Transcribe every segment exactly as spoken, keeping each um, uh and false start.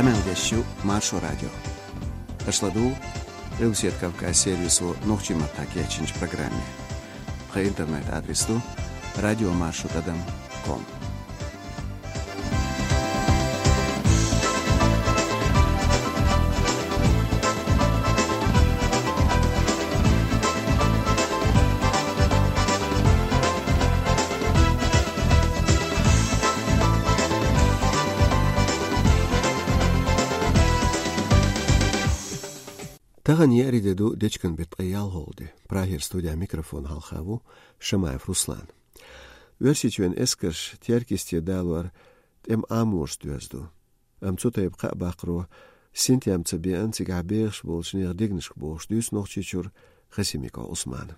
Къамел деш ю Маршо радио. Аша ладугӀу Къилбаседа Кавказ сервисо нохчийн маттахь кечйинчу программе. Тхан интернет-адрес ду радиомаршо тӀадам ком. Тахана еарин де ду, дечкен беттан ткъе ялхолгӀа де. Прагера студехь микрофон хьалха ву Шамаев Руслан. Оьрсийчоьнан эскарш Теркйисте далор тӀеман Ӏаморца доьзна ду. Амма цу тайпа кхаъ баккхаро синтем ца беана цигахь бехаш болчу нехан дегнашка бохуш дуьйцу Нохчийчуьра Хасимиков Ӏусмана.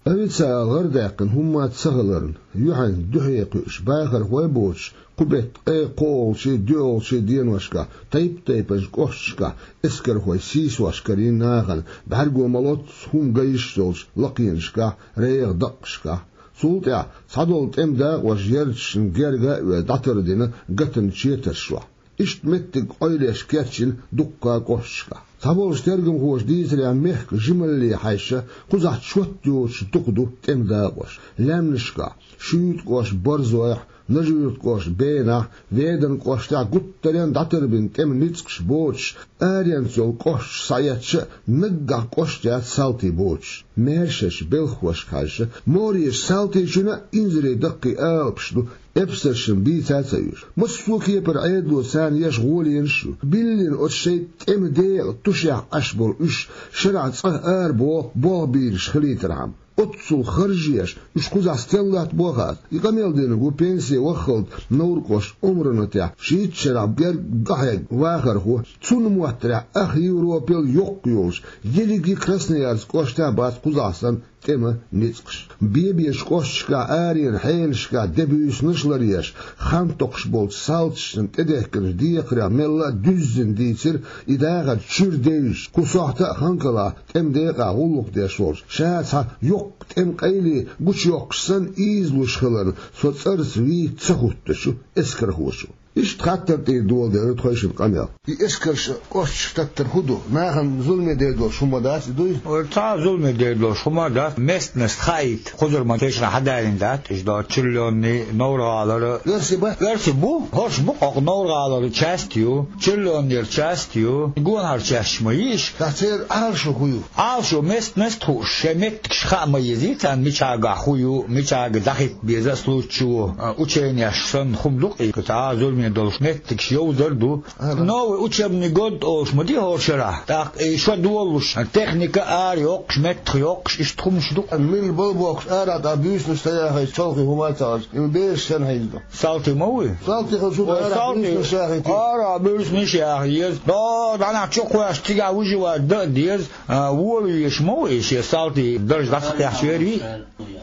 Авиаци ала гӀарадаьккхина хӀумма а ца хиларна, юьхьанца дуьхье кхуьуш бахархой а боцуш, кху беттан ткъе кхоалгӀачий, доьалгӀачий деношкахь тайп-тайпанчу кӀошташкахь эскархой сийсош карийна нахана, бӀаьрго ма-лоццу хӀума ган йиш йолчу лакхенашкахь, регӀан даккхашкахь. Цул тӀаьхьа цхьадолу тӀеман дакъош ярташна герга а оьзна дӀатардина гатанчу четарш чохь. Иштта меттиг къойлеш керчина дуккха а кӀошташкахь. Цхьаболчу тергамхоша дийцарехь, мехкан жималле хьаьжча, кхузахь чот йоцуш дукха ду тӀеман дакъош. Лаьмнашкахь, Шуьйта кӀоштан борзойхь, Нажи-Юьртан кӀоштан бенахь, Веданан кӀоштехь гуттаренна дӀатарбина тӀеман ницкъаш боцуш, аренца йолу кӀошташ схьаэцча а, наггахь кӀоштан яц салтий боцуш. Маьршачу белхахошка хьаьжча, Моречу салтичунна а инзаре даккхий алапаш ду, эпсаршна бийца а ца оьшу. Массо а кепара Ӏедало царна еш гӀоленаш а ю. Биллина оцу шайн тӀеман декъан тушехь Ӏаш болу уьш шарахь цӀа ара боху, болх бийраш хилийтархьама. Оццул харж еш, уьш кхузахь стенна латтабо а хаьа. И къамел динарг ву пенсе ваххалц Невран кӀоштан Ӏумранатехь, шийтта шарахь берг дӀахьегна вахархо. Цунна моттарехь, ах Европел йоккха йолуш, ерриге Красноярск кӀоштехь бац кхузахь санна тӀеман ницкъаш. Бен-бечу кӀошташкахь, аренан хьенашкахь де буьйсанаш а ларъеш, хан токхуш болчу салташна тӀедехкинчу декхарех мелла а дуьззина дийцира и дахар чуьра девзаш, кху сохьта а Ханкалахь тӀеман декъахь гӀуллакх деш волчу, ша цхьа йоккха тӀеман къайле гучуйоккхуш санна ийзалуш хиларна, со цӀарца вийца ца хӀуттучу эскархочо. Иштта хаттар тӀера доладелира тхойшинна къамел. И эскарш кӀошташка таттар хӀун ду? Нахана зуламе дер долуш хӀума дац и, дуй? Ой, цхьа а зуламе дер долуш хӀума дац. Местность хаийта, кхузара ма тешна хьадалийна дац, иштта Чиллионни, Невран гӀалара. Оьрсий бац? Оьрсий бу, хӀорш бу, хӀокху Невран гӀалара часть ю, Чиллионера часть ю, гонахара частьш ма йиш. Ткъа церан Ӏалашо хӀун ю? Ӏалашо, местность хууш, шайн меттигаш хаа ма езий царна, мичахьа хӀун ю, мичахьа дӀахӀитта беза, случай, а, ученеш санна хӀума ду-кх и, цхьа а зуламе долуш меттигаш йовзар а ду. Ага. Новый учебный год олуш ма ду хӀора шарахь. ТӀаккха и шо долуш, техника ара йоккхуш, меттах йоккхуш, иштта хӀумаш ду-кх. Милла бала бохкуш, ара дӀа буьйсанаш ца яхийта, чолхе хӀума а ца хьожуш, и бераш санна хьийза ду. Салтий ма вуй? Салтий хилча, ара буьйсанаш яхийта. Ара буьйсанаш яха еза. До, дӀанах чу кхоьссича, цигахь выживать дан а деза. А, вола везаш ма ву и, шен салтий дарж дӀа ца кхаьчча вер вий?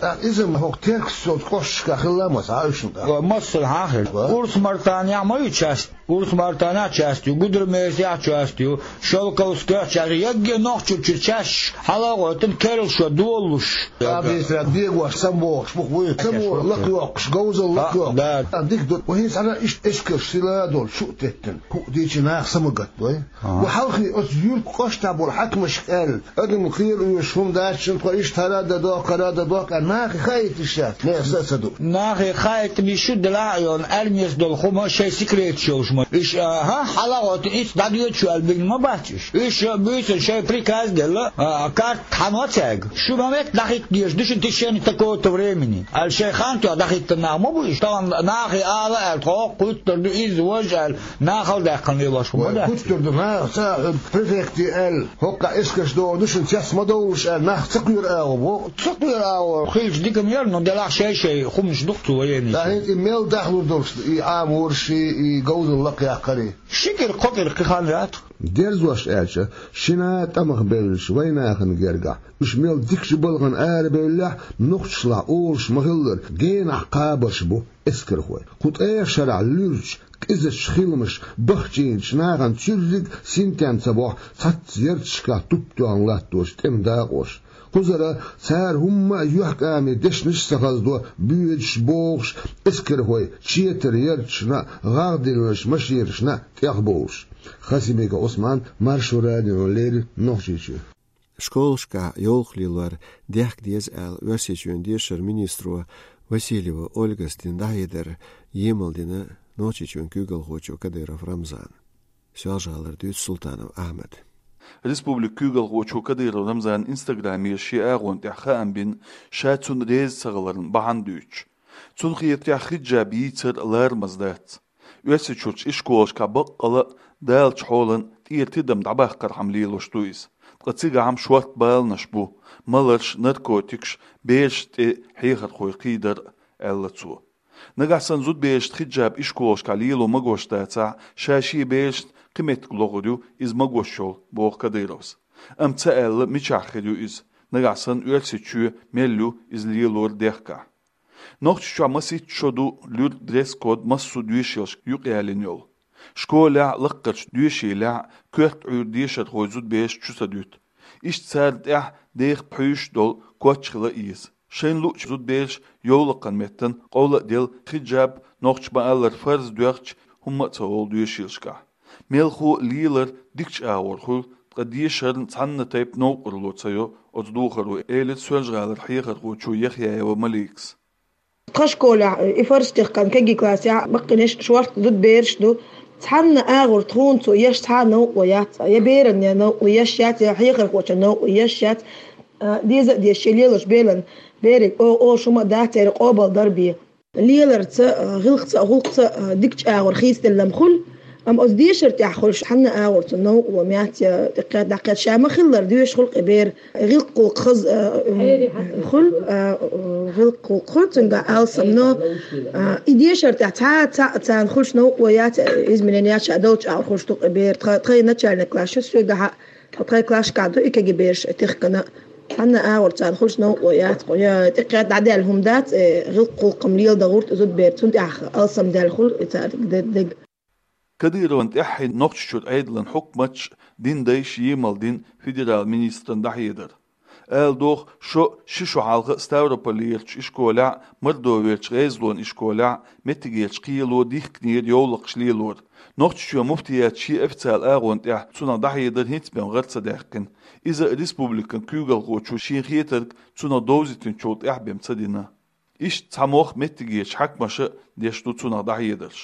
ТӀаккха иза-м хӀокху Теркйист йолчу кӀошташкахь хилла ма ца хьаьвсина тӀаккха? Ва, массанхьа а хир. Ва? Урс-Мартанехь ма ю часть? Урс-Мартанехь часть ю, Гудермесехь часть ю, Шелковскехь часть ю, ягге Нохчийчуьра частьш хьала а гӀойтина, керла шо долуш. Абисра дегош самавогӀуш бу-кх вуй, само лакхайоккхуш, говзалла лакхайоккхуш. Да. А, дика ду, вай хӀинца хьан иштта эскарш сила а долуш, шу а теттина, хӀуъа дийцича наха самагатдой. Ага. Ва хьалхе оцу юьртан кӀоштахь болу хьаькамашка аьлла, адам кхера оьшуш хӀума дац шуна, тхо иштта хӀара а дан дохку, хӀара а дан дохку аьлла, нахе хаийта йиш яц, нехан са а ца ду. Нахе хаийтина йиш ю, делахь а йолу, армеца долу хӀума шайн секреташ йолуш ма. Иштта, а, хӀа, хьала а гӀойтина, иштта дӀадоьду шу аьлла бигна ма бац уьш. Уьш буьйсанна шайн приказ а делла, а, карта хьан вац цаьрга. Шу ма метта дӀахӀитта дезаш ду шуна в течение такого-то времени аьлла, шайн хан тоьхна дӀахӀиттина нах ма бу уьш. Тахана нахе ала аьлла, тхо хӀокху кхуьттур ду, изза важа аьлла, нахала даьккхина лелош хӀума дац. Кхуьттур ду наха, ца а, префекте аьлла, хӀокху эскарш догӀур ду шуна, цец ма довлуш аьлла, нах ца кхоьру агӀо боху. Ца кхоьру агӀо хилча дика ма яра, но делахь шай-шай хӀуманаш ду-кх цу военныйцан. ТӀаккха хӀинца и мел дахлур долуш ду, и Ӏаморш, и говзалла лакхаяккхар? Ши кӀира, кхо кӀира кхин хан яц. Дерзош аьлча, шина а тӀамах бевллачу вайнахана гергахь, уьш мел дикачу балхана арабевллехь, нохчашлахь олуш ма-хиллара, генахь кхабарш бу эскархой. Кху ткъех шарахь луьрачу, къизачу хиламаша бахчийначу нахана цуьрриг синтем ца бохьу цхьацца ярташкахь туп тоьхна латточу тӀеман дакъоша. Кхузара цара хӀумма а юьхькӀаме дешнаш а ца хаздо, боьдуш, богӀуш, эскархой четар ярташна а, гӀагӀ диллинчу машенашна а тӀехбовлуш. Хасибеков Ӏусман, Маршо радиона леррина Нохчийчуьра. Школашкахь йовлакх лелор дехка деза аьлла, Оьрсийчоьнан дешаран министро Васильева Ольгас дина дӀахьедар емал дина Нохчийчоьнан куьйгалхочо Кадыров Рамзана. Соьлжа-ГӀалара дуьйцу Султанов Ахьмада. Республикан куьйгалхочо Кадыров Рамзана Instagram-ера шен агӀонна тӀехь хаам бина, ша цунна реза ца хиларна бахьана дуьйцуш. Цунна хетарехь, хиджаб йийцар ларамаза дац. Оьрсийчуьрчу ишколашкахь баккъала а даллачу хьолана тӀера тидам дӀабаккхархьама лелош ду иза. Ткъа цигахь-м шортта баланаш бу: маларш, наркотикаш, берашна тӀе хьехархой кхийдар, аьлла цо. Нагахь санна зудаберашна хиджаб ишколашкахь лело магош дацахь, ша шен берашна кхин меттиг лохур ю иза магош йолу, боху Кадыровс. Амма ца аьлла, мичахь хир ю иза, нагахь санна Оьрсийчоь мел ю иза лелор дехкахь. Нохчийчохь масийтта шо ду луьра дресс-код массо а доьшийлашка юкъаялийна йолу. Школехь а, лаккхарчу доьшийлехь а коьрта Ӏуьйра дешархой зудабераш чу ца дуьту. Иштта царна тӀехь деха пхьуьйсуш долу коч хила еза. Шайна луъучу зудабераш йовлакхан меттана къовла а делла, хиджаб, нохчаша ма-аллара, фарз доьхча, хӀумма а ца олу доьшийлашкахь. Мелхо а лелар дикачу агӀор хуьлу, ткъа дешарна цхьанна тайпа новкъарло ца йо оцу духаро, элира Соьлжа-ГӀалара хьехархочо Яхъяева Маликас. Тхан школехь и фарз тахкана кегий классехь баккхийнарш шортта зудабераш ду. Цхьанна агӀор тхуна цо еш цхьа а новкъарло яц, я берана новкъарло еш яц, я хьехархочунна новкъарло еш яц. А, деза а дезаш, шен лелош беллачу берана, берриг о-, оха хӀума а дац, церан къобалдар бен. Леларца а, гӀиллакхца а, гӀуллакхца а дикачу агӀор хийцаделла-м хуьлу, амма оцу дешарна тӀехь хуьлуш цхьанна агӀор цунна новкъарло яц, я тӀекхетта, дӀакхетта, ша ма-хиллара доьшуш хуьлу кхин бер. ГӀиллакх-гӀуллакх хаза, а, хуьлу, а, гӀиллакх-гӀуллакх хуьлу, цуьнгахь алсам, но, а, и дешарна тӀехь цхьа а, цхьа а царна хуьлуш новкъарло яц, изменени яц, ша долчу агӀор хуьлуш ду кхин бер. Тха-, тхайн начальный класс ю, соьгахь а, тхайн классашкахь ду и кегий бераш тахкана. Цхьанна агӀор царна хуьлуш новкъарло яц, я тӀекхетта дӀадаьлла хӀума дац, э, гӀиллакх-гӀуллакх-м леладан гӀурт зудаберан, цунна тӀехь алсам даьлла хуьлу и царна де-, дег. Кадыровна тӀаьххье Нохчийчуьра Ӏедалан хьукматаш, динан дайша емал дина федералан министран дӀахьедар. Ала догӀу, шо ши шо хьалха Ставрополерчу ишколехь а, Мордоверчу ГӀезалойн ишколехь а меттигерчу кхело дихкинера йовлакхаш лелор. Нохчийчоьнан муфтиятан шен официалан агӀонна тӀехь цунах дӀахьедар хӀинца бен гӀара ца даьккхина. Иза республикан куьйгалхочо шен хетарг цунах довзийтинчул тӀаьхьа бен ца дина. Иштта цхьа мох меттигерчу хьаькамаша а деш ду цунах дӀахьедарш.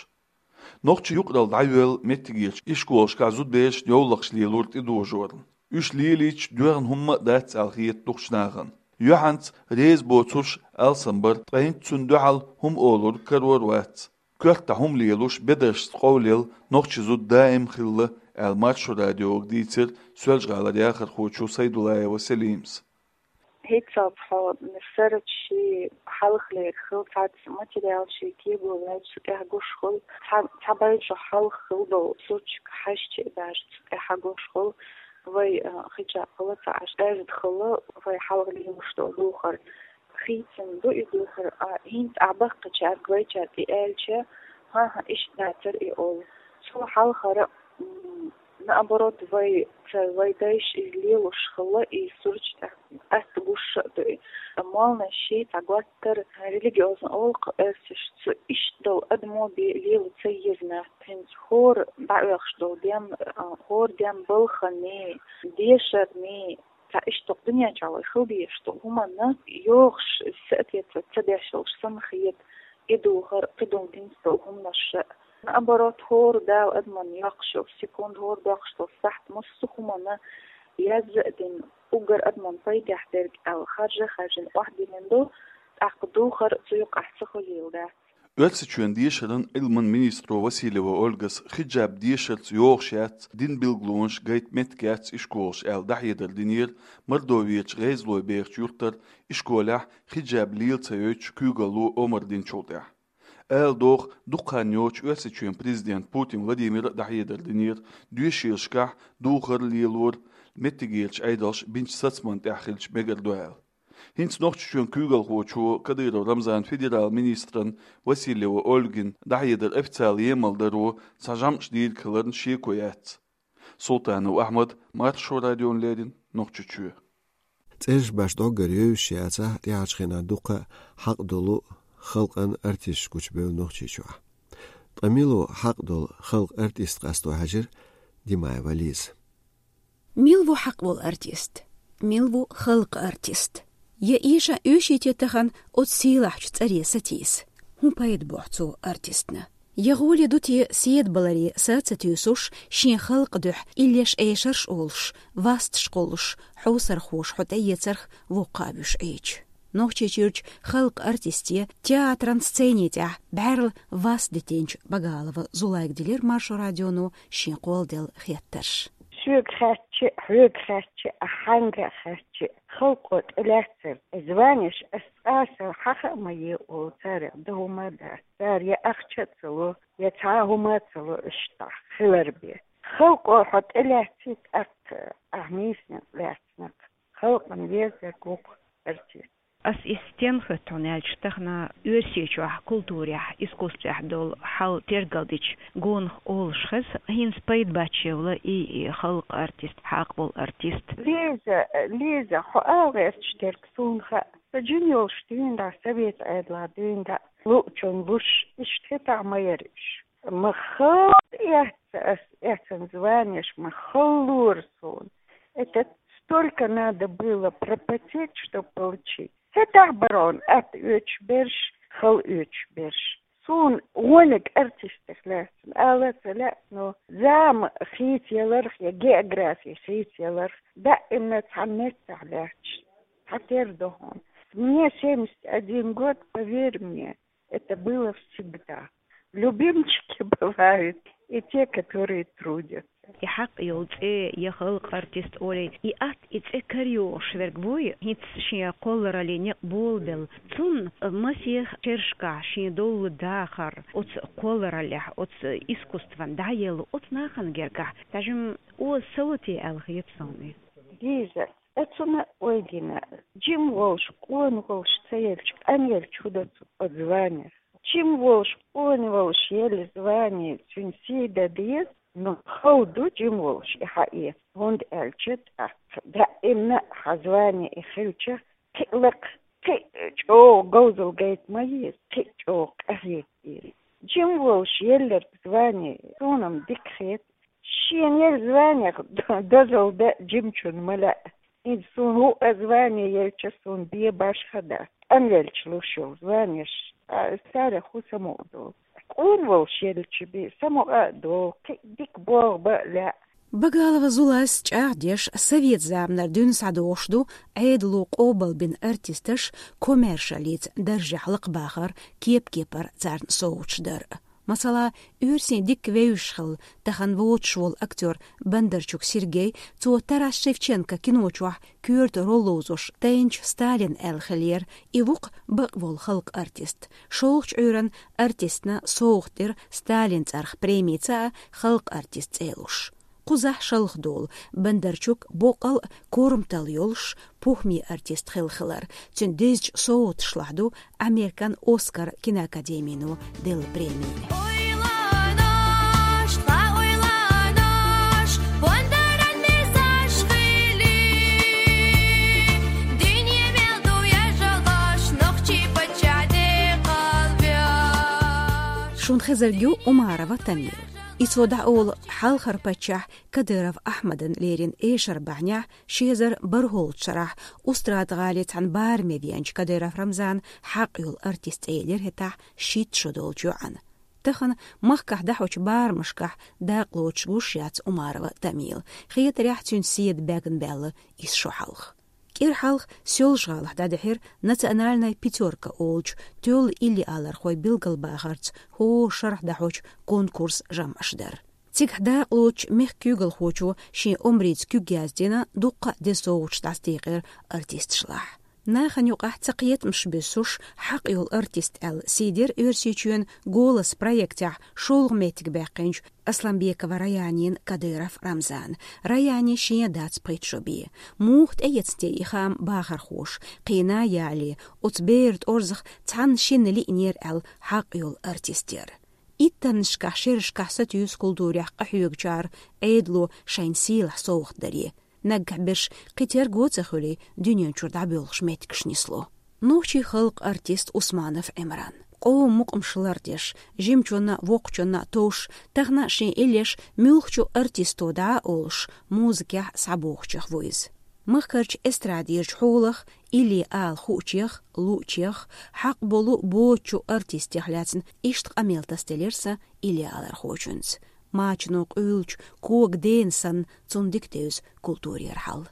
Нохчийн юкъаралла дӀайоьллу меттигерчу ишколашкахь зудаберашна йовлакхаш лелор тӀедожорна. Уьш лелийча, доьхна хӀумма а дац аьлла хета дукхачу нахана. Юьхьанца реза боцурш алсам бара, ткъа хӀинца цунна дуьхьал хӀума олург карор вац. Коьрта хӀума лелош, бедаршца къовлаелла нохчийн зуда даим хилла, аьлла Маршо радиога дийцира Соьлжа-ГӀалара яхархочо Сайдуллаева Селимас. ХӀинцалц хьо сарачу ши хьалхалера хила цхьацца материал ши кего ваьлча цу тӀехь гуш хуьлу, цхьа, цхьа бай шо хьалха хила долу сурташка хьаьжча а даже цу тӀехь гуш хуьлу, вай, а, хиджаб хила ца Ӏаш, аьзда хила вай хьалха лелош долу духар. Хийцина ду и духар, а, хӀинца ахь баккхачаьрга вайчаьрга и аьлча, хӀан-хӀа, иштта дацара и олу. Цо хьалхара, м, наоборот, вай, ца, вай дайша иза лелош хилла, и сурташ тӀехь атта гуш а ду и. Молланаш ши цхьа готтара, религиозный олу-кх оьрсаша, цу иштта долу адамо бен лела ца еза нах. ХӀинца хӀора дӀаоьхуш долу дем, а, хӀора дем балханний, дешарний, цхьа иштта дуьнен чохь вай хила дезаш долу хӀуманна йогӀуш, соответствовать ца деш йолуш санна хета и духар, кхидолу динца долу хӀуманаш а. Наоборот, хӀора Дала адамна йоккхуш йолу секунда, хӀора доккхуш долу сахьт массо а хӀуманна язза а дина, уггар адамна пайдехь дерг аьлла, харжа а харжина, охьадиллина ду, тӀаккха духар цу юкъахь ца хуьлийла дац. Оьрсийчоьнан дешаран, Ӏилман министро Васильева Ольгас хиджаб дешарца йогӀуш яц, динан билгалонаш гайта меттиг яц ишколаша аьлла дӀахьедар динера Мордоверчу ГӀезалойн бехачу юьртара ишколехь хиджаб лела ца йойтуш куьйгалло омра динчул тӀаьхьа. Ала догӀу, дукха хан йоцуш Оьрсийчоьнан президента Путин Владимира а дӀахьедар динера доьшийлашкахь духар лелор меттигерчу Ӏедалша бинчу сацамна тӀехь хилча мегар ду аьлла. ХӀинца Нохчийчоьнан куьйгалхочо Кадыров Рамзана федералан министран Васильева Ольгина дӀахьедар официалан емал даро цхьа жамӀаш дийриг хиларна шеко яц. Султанов Ахьмад, Маршо радиона леррина, Нохчийчоь. ЦӀераш баш дӀоггара евзаш яцахь, тӀаьхьарчу хенахь дуккха а хьакъ долу халкъан артисташ гучубевлла Нохчийчохь. Ткъа мила ву хьакъ долу халкъан артист къасто хьаьжира Димаева Лиза. Мила ву хьакъ волу артист? Мила ву халкъан артист? Я эшна оьшийта тахан оцу сийлахьчу цӀаре сатийса? ХӀун пайда бохьу цо артистна? Я гӀоле ду те седа баларе са а ца туьйсуш, шен халкъан дуьхьа иллеш эшарш олуш, васташ кхуллуш, хьовсархоша хьо тӀеэцарх воккха а вуьш Ӏийча? Нохчийчуьрчу халкъан артисте театран сцени тӀехь бӀаьрла вас дитинчу Багалова Зулайга дилира Маршо радионо шен кхолладелла хеттарш. Соьга хаьттича, хьоьга хаьттича, а хьаьнга а хаьттича, халкъо тӀелаьцнарг. Званеш ас цкъа а сел хьаха а ма е олу царах, дан хӀума а дац. Цара я ахча а ца ло, я цхьа а хӀума а ца ло, иштта хилар бен. Халкъо хьо тӀелаьцна, тӀаккха ахь нийсонца лаьцнарг. Халкъана везарг ву-кх артист. Ас и стен хӀоьтту хьуна аьлча, тахана Оьрсийчохь культурехь, искусствехь долу хьал тергалдича, гонах олуш хеза, хӀинца пайда бац шен вала и, и халкъан артист, хьакъ волу артист. Лиза, Лиза, хьо ала гӀерташ дерг суна хаьа. Со жима йолуш дуьйна дӀа, совет Ӏедалехь дуьйна дӀа, луучунна луш, иштта хӀетахь ма яра уьш. Ма халла эцна ас, эцна званеш, ма халлора суна. Это столько надо было пропотеть, чтоб получить. ХӀетахь барон атта оьцуш берш, хала оьцуш берш. Суна вониг артистех лаьцна ала а ца лаьа, но зама хийцаяларх я географи хийцаяларх, даимна цхьана меттехь лаьтташ, цхьатера ду хьуна. Мне семьдесят один год, поверь мне, это было всегда. Любимчики бывают и те, которые трудятся. И хьакъ йолу цӀе, я халкъан артист олий, и атта, и цӀе карайогӀуш верг вуй, хӀинца шен кхоллараллин некъ болабелла. Цунна масех шерашкахь шен долу дахар, оцу кхоллараллехь, оцу искусстван дӀаелла, оцу нахана гергахь, тажим оза сало те аьлла хета суна. Лиза, Оцунна ойдина, жима волуш, къона волуш ца елча, къанъелча хӀун до цу оцу званех? Жима волуш, къона волуш елла звани цуьнан сий дан деза, но хала ду жима волуш и хьаэца, хӀунда аьлча тӀаккха даимна хьан звани и хилча, кхин а лакха, кхин а чӀогӀа говзалла гайта ма еза, кхин а чӀогӀа къахьега деза. Жима волуш елларг звани суна-м дика хета, шена елла званех дозалла дан жимачунна ма лаьа. ХӀинца суна хӀуъа звани елча, суна бен башха дац. Къанъелча луш йолу званеш, а, царах хӀун самукъа долу? Къона волуш елча бен самукъа а долу, кхин а дика богӀу бан а лаьа. Багалова Зулайс чӀагӀдеш, совет заманара дуьйна схьадогӀуш ду Ӏедало къобалбина артисташ коммершаллица даржехь лакхабахар, кеп-кепара царна совгӀаташ дар. Масала, оьрсийн дикка вевзаш хилла, тахана воцуш волу актёр Бондарчук Сергей, цо Тарас Шевченко кино чохь коьрта роль ловзош тайначу Сталин аьлла хиллера, и ву-кх бакъ волу халкъан артист. ШолгӀачу Ӏуьйранна артистна совгӀат дира Сталин цӀарах преми ца а, халкъан артист цӀе луш. Кхузахь шалха долу Бондарчук боккъал а корматалла йолуш, похӀме артист хилла хилар. Цуьнан дезачу совгӀаташлахь ду Американ Оскар киноакадемино делла преми. Ойланош, ткъа ойланош, бондаран мезаш хили, дуьне мел ду яжалгӀаш, нохчий паччахь декъалбеш. Шун хезарг ю Умарова Тамил. И цо дӀаолу хьалхара паччахь Кадыров Ахьмадан леррина эшар бахьанехь, ши эзар бархӀолгӀачу шарахь Устрада-ГӀалин цхьана бараме веанчу Кадыров Рамзана хьакъ йолу артист цӀе елира хӀетахь шийтта шо долчу йоӀана. Тахана махкахь дӀахьочу барамашкахь дакъа лоцуш гуш яц Умарова Тамила. Хетарехь, цуьнан седа бегна баьлла исс шо хьалха. КӀира хьалха Соьлжа-ГӀалахь дӀадихьира «Национальная пятёрка» олучу тоьлла иллиалархой билгалбахарца хӀора шарахь дӀахьочу конкурсан жамӀаш дар. Цигахь дакъа лоцучу мехкан куьйгалхочо шен омрица куьг яздина, дуккха а деза совгӀаташ дӀасадекъира артисташлахь. Нахана юкъахь цакхетамаш буьссуш, хьакъ йолу артист аьлла сий дира Оьрсийчоьнан «Голос» проектехь шолгӀа меттиг баьккхинчу Асланбекова Раянина Кадыров Рамзана. Раяне шен дац пхийтта шо бен. Муха тӀеэцна те и хаам бахархоша, кхин а яле, оцу беран тӀорзах цхьанна-шинна лиънера аьлла хьакъ йолу артист яра. Иттаннашкахь шерашкахь сатуьйсу культурехь къахьоьгучара Ӏедало шайна сийлахь совгӀат даре. Наггахь берш кхин терго а ца хуьлий, дуьнен чуьра дӀабоьлхуш меттигаш нисло. Нохчийн халкъан артист Усманов Ӏимран. къоман мукъамаш лардеш, жимачунна, воккхачунна товш, тахана шен иллеш муьлххачу артисто дӀа а олуш, музыкехь схьабогӀучех ву иза. Махкарчу эстрадерчу хьолах, илли ала хуучех, луучех, хьакъ болу боцучу артистех лаьцна иштта къамел тасделира сан илли алархочуьнца. Мачано къуьйлучу кога дена санна, цунна дика девза культурера хьал.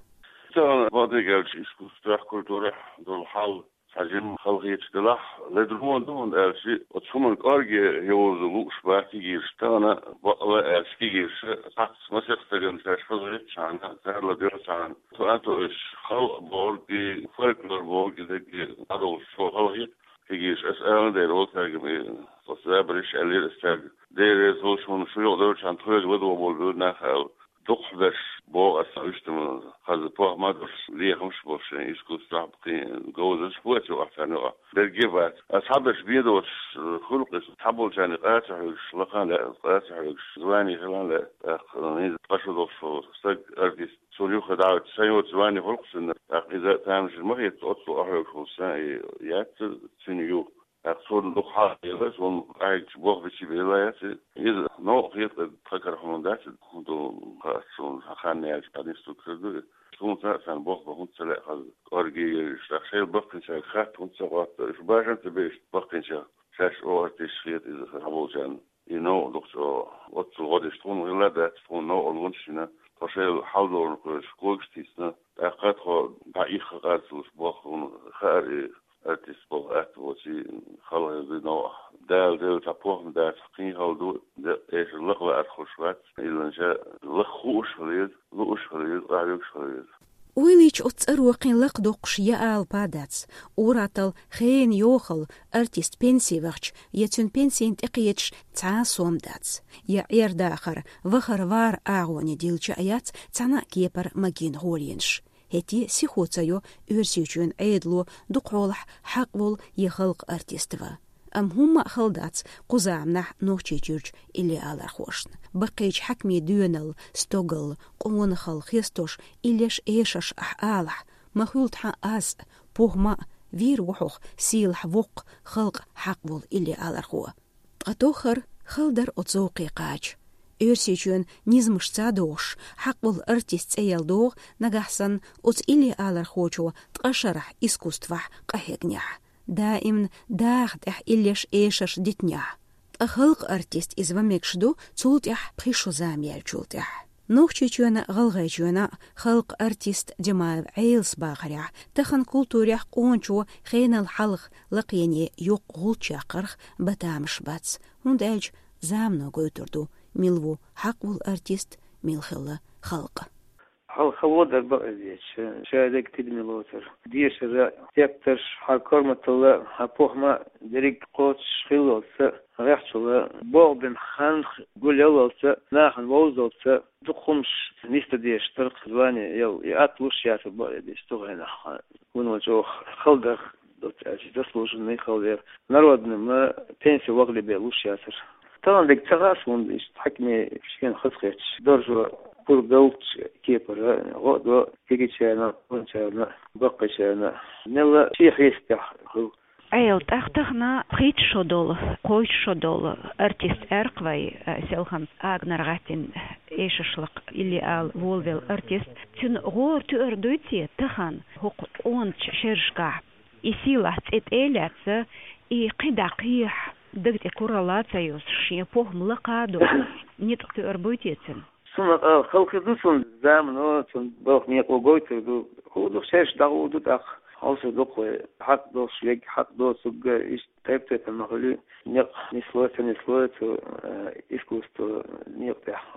Тахана, бакъдерг аьлча, искусствехь, культурехь долу хьал цхьа жимма халахеташ делахь, ледарло ду, хӀунда аьлча оцу хӀуманна кӀорге йовза лууш бац кегийраш. Тахана, бакъ ала аьлча, кегийрша цхьацца масех стагана шаьш хазахетчхьана, царла доьлхучхьана, цу а тоьаш халкъ бохург и, фольклор бохург и дерриге дӀадолуш чӀогӀа халахета кегийраш. Ас ала дера, оцаьрга и, оцу забарш аьллера ас цаьрга. Дера реза волуш, хӀунда шу юкъадевлчхьана тхоьга ладогӀа болу буьйр нах аьлла. Дукхахберш боху ас, уьш ма хаза, похӀма а долуш, лехамаш а болуш, шайн искусствехь кхин говзанчаш а бу ас юкъахь царна юкъахь. Берриге а бац. Ас цхьаберш бен доцуш хуьлу-кх иза, цхьаболчарна къа ца хьоьгуш лакхана лаьа, къа ца хьоьгуш звани хиларна лаьа, тӀаккха хӀинца ткъа шо долуш волу стаг, артист, цунна юххе дӀа а вуьтуш, сайн йоцу звани хуьлу-кх цуьнан, тӀаккха иза тамашийна ма хета, оццул къахьоьгуш волу стаг и яц цуьнан ю. ТӀаккха цунна дукха хьагӀ хилла, цунна къахьегча болх бича бен лаьа яц иза. Иза новкъа хета тхан кара, хӀума дац, хӀун ду, хаьа суна, хан яьлча дӀанисдуьллур ду иза. Суна цхьаъ санна болх бан хӀунда ца лаьа хаза, кӀорге йовзуш, тӀаккха шайна баккхийчаьрга хатта хӀунда ца хотту, уьш башха ца беш баккхийчарна, шаьш оха артисташ хета иза схьаболчарна. И новкъа дукха чӀогӀа, оццул гӀо деш тхуна хилла а дац, тхуна новкъарлонаш йина, тхо шайла хьал долурна кхоьруш когаш а тийсина, тӀаккха тхо дӀа ихха къарцалуш болх, хӀунда хаьара и артист болу атта воций, халахетар ду новкъахь. Дала делла цхьа похӀма дацахь, кхин хала ду, декъа эшар лакха лаарх хуьлуш вац, илланча лакха хууш хила веза, лууш хила веза, къахьоьгуш хила веза. Ойла йича, оцу цӀаро кхин лакхадоккхуш я алапа а дац. Ур-атталла хенан йохалла артист пенси вахча, я цуьнан пенсина тӀекхеташ цхьа а сом дац. Я Ӏер-дахар, вахар-вар агӀоне дилча а яц цхьана а кепара магийна гӀоланаш. ХӀетте а сихо ца йо Оьрсийчоьнан Ӏедало дукха хьолахь хьакъ волу я халкъан артист ван. Амма хӀумма а хала дац кху заманахь Нохчийчуьрчу илли алархошна. Баккхийчу хьаькамийн доьналла, стогалла, къонахалла хестош, иллеш эшарш ахь алахь, ма хуьлу тхан аз а, похӀма а, вийр ву хьох сийлахь воккха, халкъан хьакъ волу илли алархо. Ткъа тоххара хала дара оцу зовкхе кхача. Оьрсийчоьнан низамашца а догӀуш, хьакъ волу артист цӀе яла догӀу, нагахь санна оцу илли алархочо ткъа шарахь искусствехь къахьегнехь, даимна даха тӀехь иллеш эшарш дитинехь. Ткъа халкъан артист иза ван мегаш ду, цул тӀаьхьа пхи шо зама яьллачул тӀаьхьа. Нохчийчоьнан а, ГӀалгӀайчоьнан а халкъан артист Димаев Ӏелас бахарехь, тахана культурехь къоначо хенал хьалха лакхене йоккха гӀулч яккхарх бан тамаш бац, хӀунда аьлча замано гойтур ду, мила ву хьакъ волу артист, мила хилла халкъ. Хьалха хало дара бакъ деза, ша дерг тидаме лоцура. Дешара, тептарш, хьан корматалла, хьан похӀма дерриг кхочуш хиллалца, гӀехчалла, болх бина хан гулъяллалца, нахана вовзалца, дукха хӀумаш нисдан дезаш дара-кх, звани яла, и атта луш яцара бакъ деза цу хенахь. Вуно чӀогӀа хала дара, доцца аьлча, заслуженный хала яра. Народныйна пенси вахале бен луш яцара. Тахана дерг ца хаьа суна, иштта хьаькамийн шена хазахеташ, даржо пурба даллалц кепара, гӀо а до кегийчарна, къоначарна, баккхийчарна. Мелла шен хьесапехь хуьлу. Ӏела, тӀаккха тахана пхийтта шо долу, кхойтта шо долу артист аьлла-кх вай, а, селхана агнара гӀаттина эшаршлакха илли ала волавелла артист. Цуьнан гӀора туьар дуй те тахана хӀокху къоначу шерашкахь? И сийлахь цӀе тӀе а лаьцна, и кхидӀа кхехьа, дага тӀе куралла а ца йосуш, шен похӀма лакха а долуш, ницкъ туьар буй те цуьнан? Суна къа халахетар ду цуьнан замано, цуьнан балха некъо гойтур ду. ХӀун ду, шераш дӀагӀур ду тӀаккха. Хьовсур ду-кх вай, хьакъ долуш верг хьакъ доцург, иштта тайп-тайпана ма хуьлий, некъ нислой, ца нислой цу, э, искусство некъа тӀехь.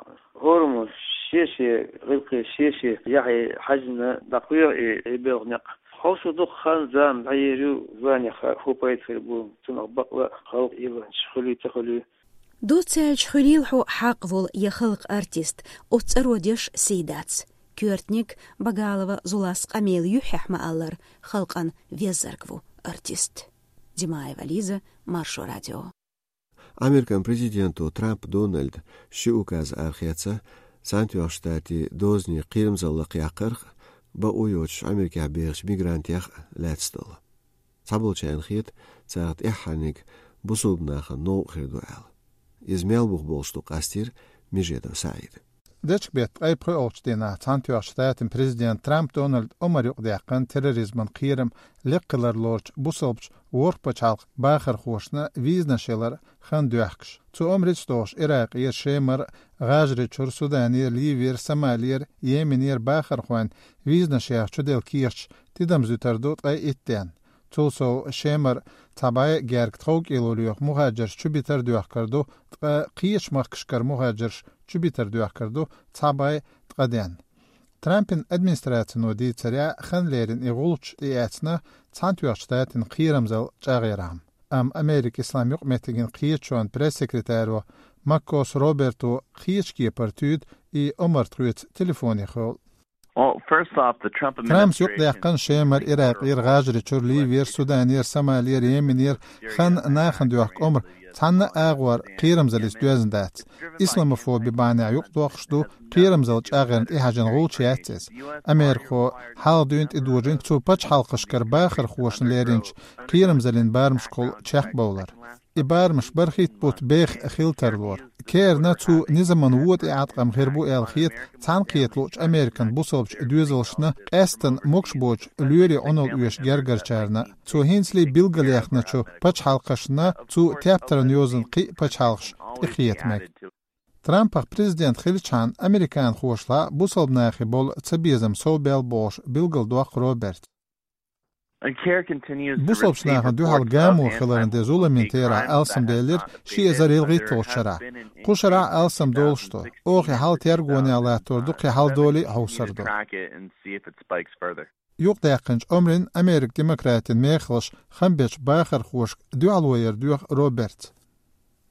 ХӀораммо шен-шен гӀиллакхе, шен-шен яхье хьаьжжина дӀакхоьхьу и, и белхан некъ. Хьовсур ду-кх, хан-зама дӀаер ю, званех хӀун пайда хир бу, цунах бакъ ла а халкъ илланчаш хуьлий, ца хуьлий. Доцца аьлча, хуьлийла хьо хьакъ волу я халкъан артист, оцу цӀаро деш сий дац. Коьртаниг, Багалова Зулас къамелан юьххьехь ма-аллара, халкъан веззарг ву артист. Димаева Лиза, Маршо радио. Американ президенто Трамп Дональда ши указ арахецна, Цхьаьнатоьхначу Штатийн дозанийн кхерамзалла лакхъяккхарх а, бакъо йоцуш Америкехь бехачу мигрантех а лаьцна долу. Цхьаболчарна хета, царах тӀаьххьарниг бусалба нахана новкъа хир ду аьлла. Иза мел бух болуш ду къастийра Межедов СаӀида. Дечка бетта ткъе пхоьалгӀачу дийнахь Цхьаьнатоьхначу Штатийн президента Трамп Дональда омар юкъадаьккхина терроризман кхерам лекха хилар лоручу бусалбачу ворхӀ пачхьалкхан бахархошна визанаш ялар хан доьхкуш. Цу омрица догӀуш Иракъера, Шемара, ГӀажарийчуьра, Суданера, Ливера, Сомалера, Йеменера бахархойн визанаш яха чуделла кехаташ тидамза вуьтур ду ткъе итт дийнахь. Цул сов Шемара цхьа бӀе герга тховкӀело лоьху мухӀажарш чубитар доьхкур ду, ткъа кхечу махкашкара мухӀажарш чубитар доьхкур ду цхьа бӀе ткъа дийнахь. Трампан администрацино дийцарехь, хан лерина и гӀулч тӀеэцна Цхьаьнатоьхначу Штатийн кхерамзалла чӀагӀъярхьама. Амма Америкин Ислам юкъаметтиган кхеташонан пресс-секретаро Маккос Роберто кхечу кепара туьйду и омар тхоьца телефонехула. Well, first off, the Trump Трампа юкъадаьккхина Шемара, Иракъера, ГӀажарийчуьра, Ливера, Суданера, Сомалера, Йеменера хан нахана доьхку омра цхьана а агӀор кхерамзаллица доьзна дац. Исламофоби бахьанехь юкъадоккхуш ду, кхерамзалла чӀагӀъярна тӀехьажийна гӀулч яц иза. Америкахо хьалха дуьйна тӀедожийна цу пачхьалкхашкара бахархошна леринчу кхерамзаллин барамашкахула чекхбовлар. И барамаш бархӀитта бутт беха хила тарлора. Кхерна цу низаман вон тӀе Ӏаткъам хир бу аьлла хета цхьаьнакхета луучу Американ бусалбачу доьзалшна, къаьсттина могуш боцчу лоьрийн Ӏуналла оьшу гергарчарна. Цо хӀинцале билгалъяьхначу пачхьалкхашна цу тептаран йозанан кхин а пачхьалкхаш тӀекхета мега. Трампах президент хилчхьана американхошлахь бусалба нахе болу цабезам совбаьлла бохуш билгалдоккху Роберта. Бусалбачу нахана дуьхьал гамо хиларна де зуламийн терахь алсамбелира ши эзар ялхитталгӀачу шарахь. Кху шарахь алсам долуш ду. Оха и хьал тергонехь латтор ду, кхин хьалдолий а хьовсур ду. Юкъадаьккхинчу омрин Америкин демократийн мехалш хам бечу бахархошка дуьхьало яр доьху Роберта.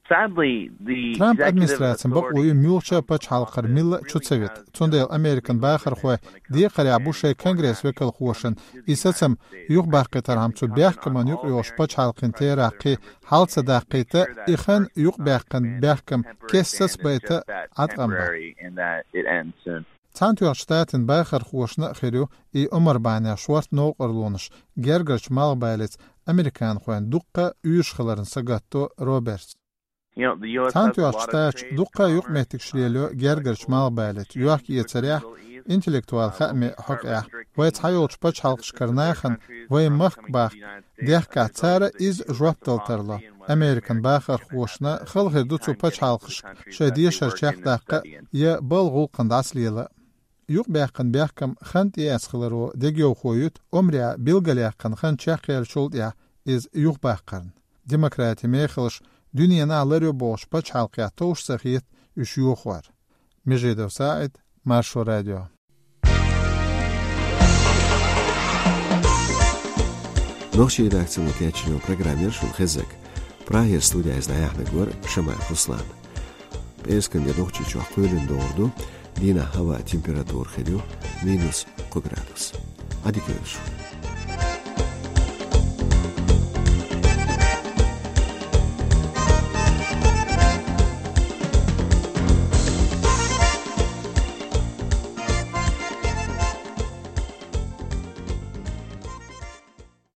Трамп администрацин бакъо ю муьлххачу а пачхьалкхера милла чу ца вита. Цундела Американ бахархой декхарехь бу шайн конгресс векалхошна и сацам юхабаккхийтархьама цу бехкаман юкъайогӀуш пачхьалкхийн терахь кхин хьал ца даккхийта, и хан юкъабаьккхина бехкам кеста сацабайта Ӏаткъам бан. Цхьаьнатоьхначу Штатийн бахархошна а хир ю и омар бахьанехь шорта новкъарлонаш гергарчу малхбалица американхойн дуккха а уьйраш хиларна сагатдо Роберта. Цхьаьнатоьхначу Штаташ дуккха а юкъаметтигаш лелайо гергарчу малхбалица, йохк-эцарехь, интеллектуал хаамийн хьокъехь. Вай цхьайолчу пачхьалкхашкара нахана вайн махка бахка дехкахь, цара иза жоп дала тарло. Американ бахархошна хала хир ду цу пачхьалкхашка шайн дешар чекхдаккха я балха гӀуллакхана дӀасалела. Юкъабаьккхина бехкам хан тӀеэцна хиларо дегайовхо ю омрехь билгалъяьккхина хан чекхъяьллачул тӀаьхьа иза юхабаккхарна. Демократийн мехалш дуьненахь ларйо бохучу пачхьалкхехь товш ца хета уьш йохор. Межидов СаӀид, Маршо радио. Нохчийн редакцино кечйинчу программера шуна хезнарг. Прагера студехь иза дӀаяьхьнарг вара Шамаев Руслан. Пхьарскан де Нохчийчохь кхоьлина догӀур ду, дийнахь хӀаваан температура хир ю минус кхо градус. Ӏадика йойла шун.